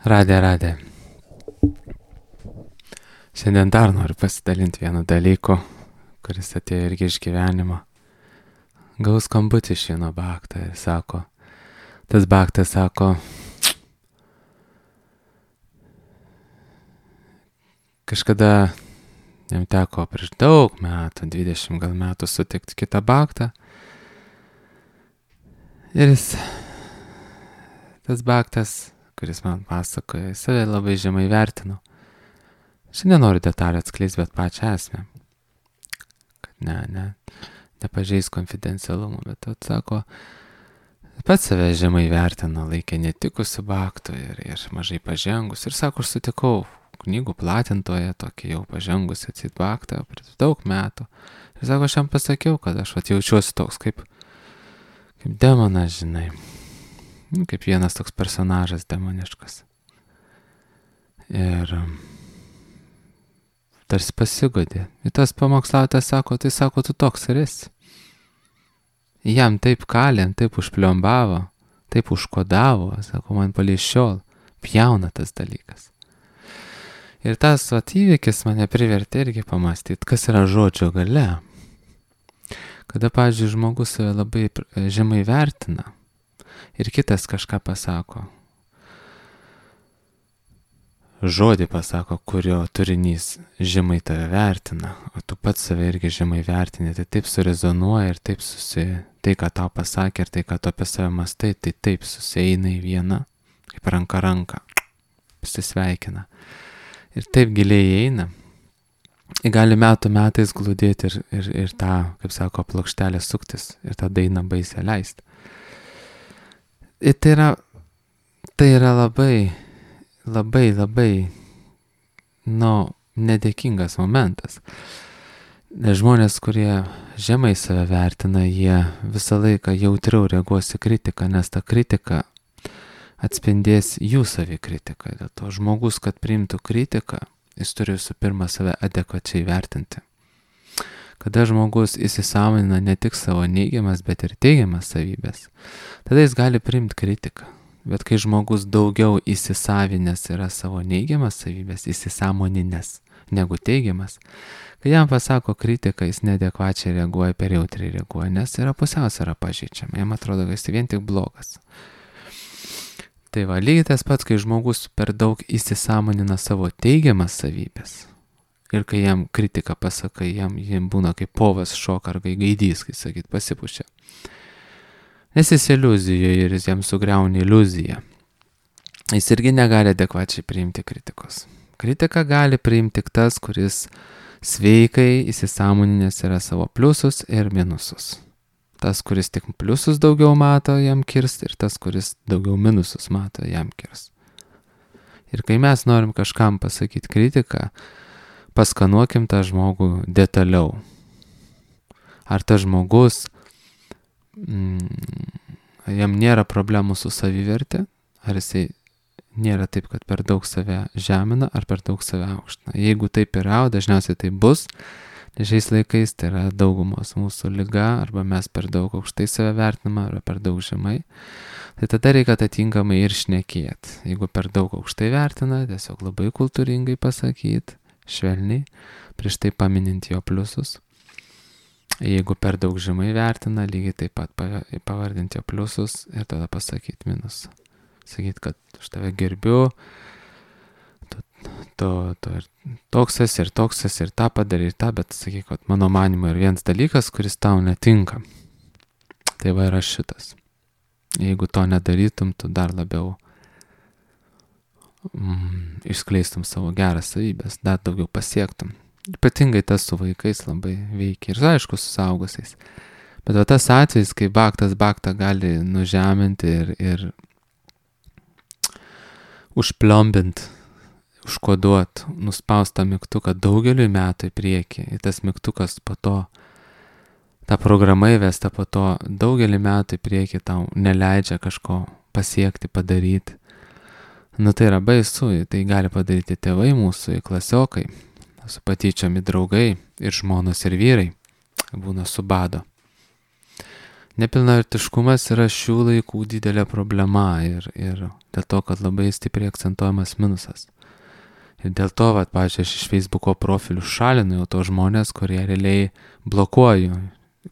Radė. Šiandien dar noriu pasidalinti vienu dalyku, kuris atėjo irgi iš gyvenimo. Gaus skambutį iš vieno baktą ir sako, tas baktas sako, kažkada jam teko prieš daug metų, 20 gal metų sutikti kitą baktą. Ir tas baktas, kuris man pasakoja, save labai žemai vertino. Aš nenoriu detalių atskleisti, bet pačią esmę. Kad nepažeis konfidencialumo, bet atsako, pats save žemai vertino, laikė netikusiu baktu ir mažai pažengus. Ir sako, aš sutikau knygų platintoje, tokį jau pažengusi atsit baktą prieš daug metų. Ir sako, aš jam pasakiau, kad aš jaučiuosi toks kaip demonas, žinai. Kaip vienas toks personažas demoniškas. Ir tarsi pasigodė. Ir tas pamokslautas sako, tai sako, tu toks ir esi. Jam taip kalėm, taip užpliombavo, taip užkodavo, sako, man palei šiol pjauna tas dalykas. Ir tas įvykis mane privertė irgi pamastyti, kas yra žodžio galia. Kada, pavyzdžiui, žmogus save labai žemai vertina ir kitas kažką pasako. Žodį pasako, kurio turinys žemai tave vertina, o tu pats save irgi žemai vertini, tai taip surezonuoja ir taip tai, ką tau pasakė ir tai, ką tu apie save mastai, tai taip susieina į vieną, kaip ranka, pasisveikina. Ir taip giliai eina. Ir gali metais glūdėti ir tą, kaip sako, plokštelę suktis ir tą dainą baisę leisti. Ir tai yra labai, nedėkingas momentas. Nes žmonės, kurie žemai save vertina, jie visą laiką jautriau reaguos į kritiką, nes ta kritika atspindės jų savikritiką. Dėl to žmogus, kad priimtų kritiką, jis turi visų pirma save adekvačiai vertinti. Kada žmogus įsisąmonina ne tik savo neigiamas, bet ir teigiamas savybės, tada jis gali priimti kritiką. Bet kai žmogus daugiau įsisavinęs yra savo neigiamas savybės, įsisąmoninęs negu teigiamas, kai jam pasako kritiką, jis neadekvačiai reaguoja, per jautriai reaguoja, nes yra pusiausvyra pažeidžiama, jam atrodo, kad jis vien tik blogas. Tai lygiai tas pats, kai žmogus per daug įsisąmonina savo teigiamas savybės ir kai jam kritiką pasakai, jam būna kaip povas šoka ar gaidys, kai sakyt, pasipušia. Nes jis iliuzijoje ir jis jam sugriauna iliuziją. Jis irgi negali adekvačiai priimti kritikos. Kritiką gali priimti tik tas, kuris sveikai įsisąmoninęs yra savo pliusus ir minusus. Tas, kuris tik pliusus daugiau mato, jam kirs, ir tas, kuris daugiau minusus mato, jam kirs. Ir kai mes norim kažkam pasakyti kritiką, paskanuokim tą žmogų detaliau. Ar tas žmogus, jam nėra problemų su savivertė, ar jisai nėra taip, kad per daug save žemina, ar per daug save aukština. Jeigu taip yra, dažniausiai tai bus, nes šiais laikais tai yra daugumos mūsų liga, arba mes per daug aukštai save vertiname, arba per daug žemai, tai tada reikia atitinkamai ir šnekėti. Jeigu per daug aukštai vertina, tiesiog labai kultūringai pasakyti, švelniai, prieš tai paminint jo pliusus. Jeigu per daug žemai vertina, lygiai taip pat pavardinti jo pliusus ir tada pasakyti minusą. Sakyti, kad aš tave gerbiu, toks esi ir tą padarė ir tą, bet sakyk, kad mano manimo yra vienas dalykas, kuris tau netinka. Tai yra šitas. Jeigu to nedarytum, tu dar labiau išskleistum savo geras savybės, dar daugiau pasiektum. Ypatingai tas su vaikais labai veikia ir aišku su suaugusiais. Bet tas atvejis, kai baktas baktą gali nužeminti ir užpliombint, užkoduot, nuspaust tą mygtuką daugeliui metų į priekį. Ir tas mygtukas po to, ta programa įvesta po to daugelį metų į priekį tau neleidžia kažko pasiekti, padaryti. Tai yra baisu, tai gali padaryti tėvai mūsų, klasiokai, su patyčiomi draugai ir žmonos ir vyrai būna su bado. Nepilnavertiškumas yra šių laikų didelė problema ir dėl to, kad labai stipriai akcentuojamas minusas. Ir dėl to, pavyzdžiui, aš iš Facebooko profilių šalinu jau to žmonės, kurie realiai blokuoju,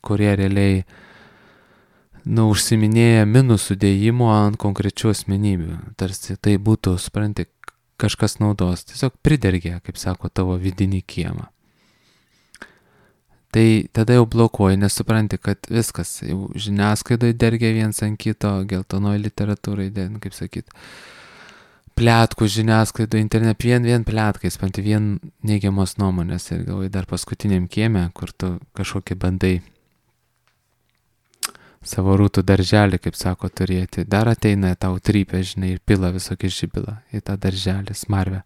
kurie realiai užsiminėja minusų dėjimo ant konkrečių asmenybių. Tarsi tai būtų, supranti, kažkas naudos. Tiesiog pridergė, kaip sako, tavo vidinį kiemą. Tai tada jau blokuoji, nes supranti, kad viskas, jau žiniasklaidoje dergia viens ant kito, geltonoje literatūrai, kaip sakyt, pletkų žiniasklaidoje, internet, vien pletkais, vien neigiamos nuomonės ir galvoji dar paskutiniam kieme, kur tu kažkokį bandai savo rūtų darželį, kaip sako, turėti. Dar ateina tau trypia, žinai, ir pila visokį žibylą į tą darželį, smarvę.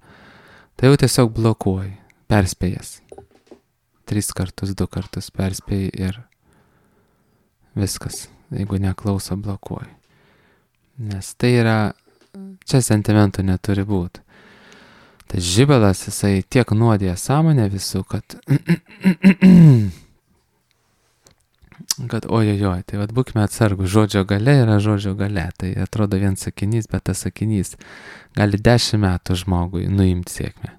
Tai jau tiesiog blokuoji, perspėjęs. 3 kartus, 2 kartus perspėjai ir viskas. Jeigu neklauso, blokuoji. Nes tai yra, čia sentimentų neturi būti. Tas žibalas, jisai tiek nuodėja sąmonę visų, kad ojojoj, tai būkime atsargų, žodžio gale yra žodžio gale, tai atrodo vien sakinys, bet tas sakinys gali 10 metų žmogui nuimti sėkmę.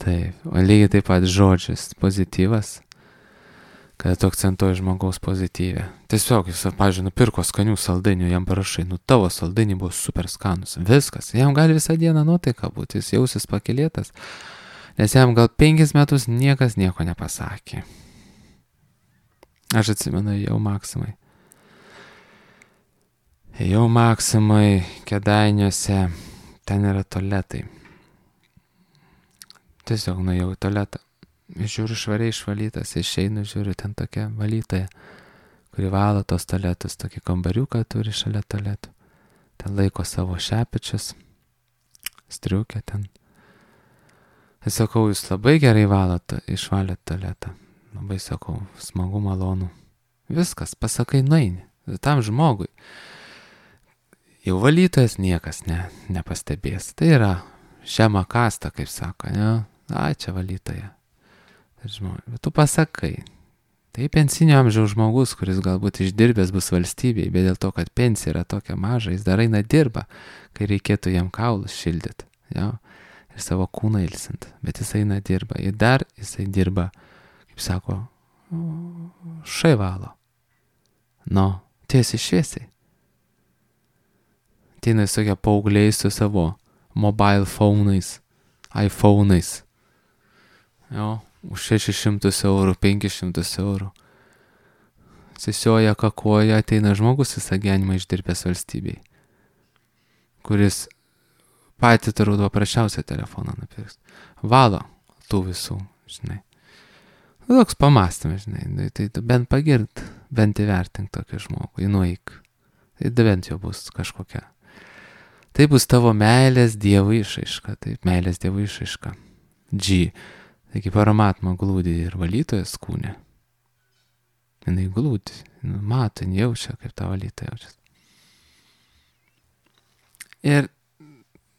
Taip, o lygiai taip pat žodžis pozityvas, kada tu akcentuoji žmogaus pozityvę. Tiesiog jis, pavyzdžiui, nupirko skanių saldainių, jam parašai, tavo saldainiai buvo super skanus, viskas, jam gali visą dieną nuotaika būti, jis jausis pakilėtas, nes jam gal 5 metus niekas nieko nepasakė. Aš atsimenu, jau Maksimai Kėdainiuose, ten yra tualetai. Tiesiog nuėjau į tualetą, žiūriu švariai išvalytas, išeinu, žiūriu, ten tokia valytoja, kuri valo tos tualetus, tokį kambariuką turi šalia tualetų, ten laiko savo šepečius, striukę ten. Ir sakau, jūs labai gerai išvalėt tualetą. Labai sakau, smagu, malonu. Viskas, pasakai, nueini. Tam žmogui. Jau valytojas niekas nepastebės. Tai yra žema kasta, kaip sako, ne? Ai, čia valytoja. Bet tu pasakai. Tai pensinio amžiaus žmogus, kuris galbūt išdirbęs bus valstybėje, bet dėl to, kad pensija yra tokia maža, jis dar eina dirba, kai reikėtų jam kaulus šildyti. Jo? Ir savo kūną ilsint. Bet jis eina dirba. Ir dar jisai dirba, kaip sako, šaivalo. Tiesiai šviesiai. Ateina visokie paaugliai su savo mobile phone'ais, iPhone'ais. Jo, už 600 eurų, 500 eurų. Sisioja, kakoja, ateina žmogus visą gyvenimą išdirbęs valstybei, kuris patį turbūt paprasčiausią telefoną nupirks. Valo tų visų, žinai. Toks pamastymas, žinai, tai bent pagirt, bent įvertink tokį žmogų, nueik. Tai bent jau bus kažkokia. Tai bus tavo meilės Dievui išraiška, taip, meilės Dievui išraiška. Taigi paramatma glūdi ir valytojas kūne. Jinai glūdi, mato, jaučia, kaip ta valytoja jaučiasi. Ir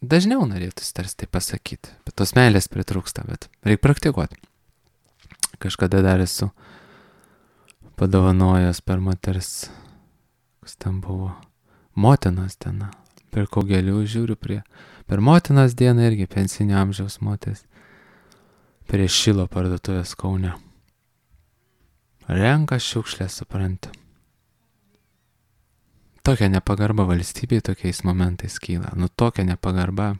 dažniau norėtųsi tarsi tai pasakyti, bet tos meilės pritrūksta, bet reikia praktikuoti. Kažkada dar esu padovanojęs per moters, kas ten buvo, motinos diena. Pirkau gėlių, žiūriu per motinos dieną irgi pensinio amžiaus moteris. Prie Šilo parduotuvės Kaune. Renka šiukšlę, supranti. Tokia nepagarba valstybei tokiais momentais kyla. Tokia nepagarba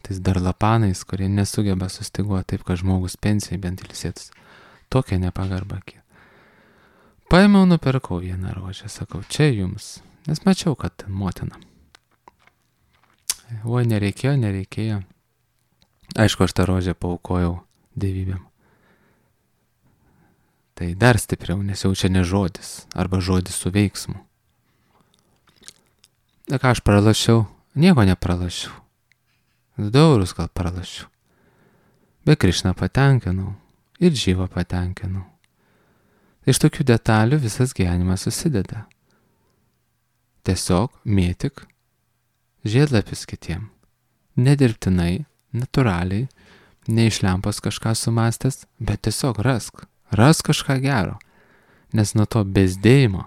tais darlapanais, kurie nesugeba sustiguoti taip, kad žmogus pensijai bent ilsėtus. Tokia nepagarba kyla. Paėmiau, nupirkau vieną rožę, sakau, čia jums. Nes mačiau, kad ten motina. Oi, nereikėjo. Aišku, aš tą rožę paaukojau dievybėm. Tai dar stipriau, nes jau čia ne žodis, arba žodis su veiksmu. Na ką aš pralašiau? Nieko nepralašiau. 2 eurus gal pralašiau. Bet Krišną patenkinau ir Dživą patenkinau. Iš tokių detalių visas gyvenimas susideda. Tiesiog mėtyk žiedlapius kitiem. Nedirbtinai, natūraliai, neišlempos kažką sumastęs, bet tiesiog rask kažką gero. nes nuo to bezdėjimo,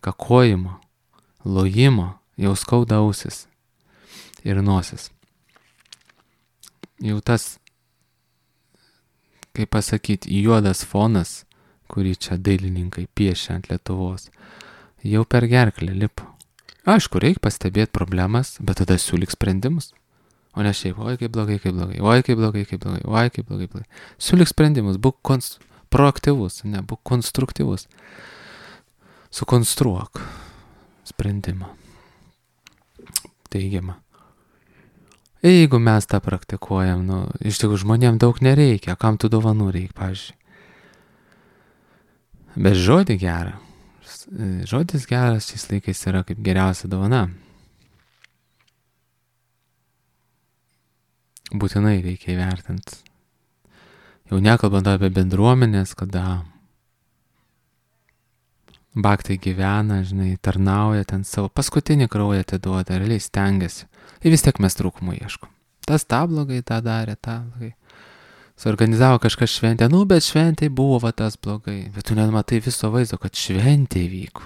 kakojimo, lojimo jau skauda ausis ir nosis. Jau tas, kaip pasakyti, juodas fonas, kurį čia dailininkai piešia ant Lietuvos, jau per gerklę lipo. Aišku, reikia pastebėti problemas, bet tada siūlyk sprendimus. O ne šiaip, oi kaip blogai, oi kaip blogai. Siūlyk sprendimus, būk proaktyvus, ne, būk konstruktyvus. Sukonstruok sprendimą. Teigiamą. Jeigu mes tą praktikuojam, iš tikrųjų žmonėm daug nereikia, kam tų dovanų reikia, pavyzdžiui. Bet žodį gerą. Žodis geras šiais laikais yra kaip geriausia dovana. Būtinai reikia įvertinti. Jau nekalbant apie bendruomenės, kada baktai gyvena, žinai, tarnauja ten savo paskutinį kraują atiduoda, realiai stengiasi. Ir vis tiek mes trūkumų ieškom. Tas tą blogai, tą darė, tą blogai. Suorganizavo kažkas šventę, bet šventėj buvo va tas blogai. Bet tu nematai viso vaizdo, kad šventėj vyko.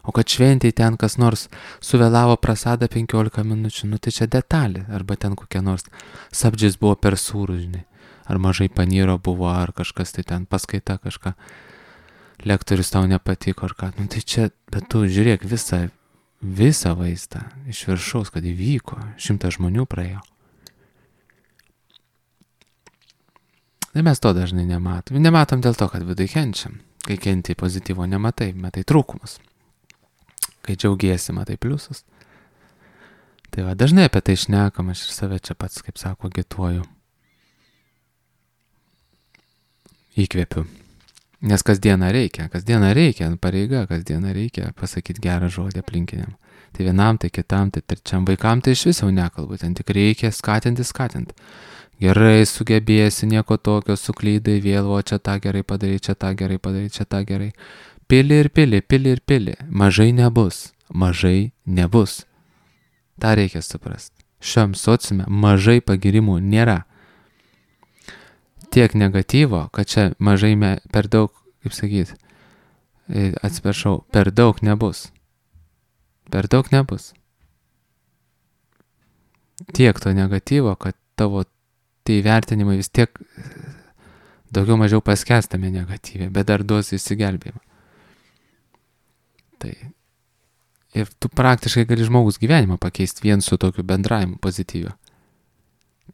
O kad šventėj ten kas nors suvėlavo prasadą 15 minučių, tai čia detalė. Arba ten kokia nors sabdžis buvo per sūrų, žinai. Ar mažai panyro buvo, ar kažkas tai ten paskaita kažką. Lektorius tau nepatiko, ar ką. Tai čia, bet tu žiūrėk visą vaizdą iš viršaus, kad įvyko. 100 žmonių praėjo. Tai mes to dažnai nematom. Nematom dėl to, kad vidui kenčiam. Kai kenti pozityvo nematai, matai trūkumus. Kai džiaugiesi, matai pliusus. Tai va, dažnai apie tai šnekam, aš ir save čia pats, kaip sako, agituoju. Įkvėpiu. Nes kasdieną reikia, pareiga, kasdieną reikia pasakyti gerą žodį aplinkiniam. Tai vienam, tai kitam, tai trečiam vaikam, tai iš viso nekalbu, ten tik reikia skatinti. Gerai sugebėsi, nieko tokio, suklydai vėl, o čia tą gerai padarai, čia tą gerai. Pili. Mažai nebus. Ta reikia suprasti. Šiam sociume mažai pagirimų nėra. Tiek negatyvo, kad čia mažai per daug, kaip sakyti, per daug nebus. Tiek to negatyvo, kad tavo tai vertinimai vis tiek daugiau mažiau paskęstame negatyvė, bet dar duos įsigelbėjimą. Tai ir tu praktiškai gali žmogus gyvenimą pakeisti vien su tokiu bendravimu pozityviu.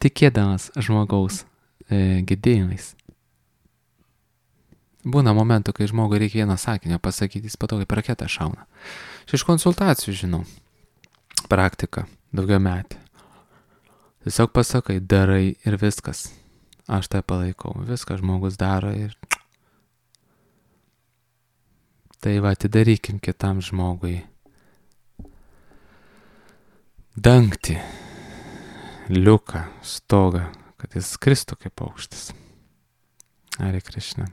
Tikėdamas žmogaus gedėjimais. Būna momentų, kai žmogui reikia vieną sakinio pasakyti, jis po to kaip raketą šauna. Iš konsultacijų žinau. Praktika, daugiau metį. Tiesiog pasakai, darai ir viskas. Aš tai palaikau. Viską žmogus daro ir... Tai va, atidarykim kitam žmogui dangtį, liuką, stogą, kad jis skristų kaip paukštis. Hare Krishna.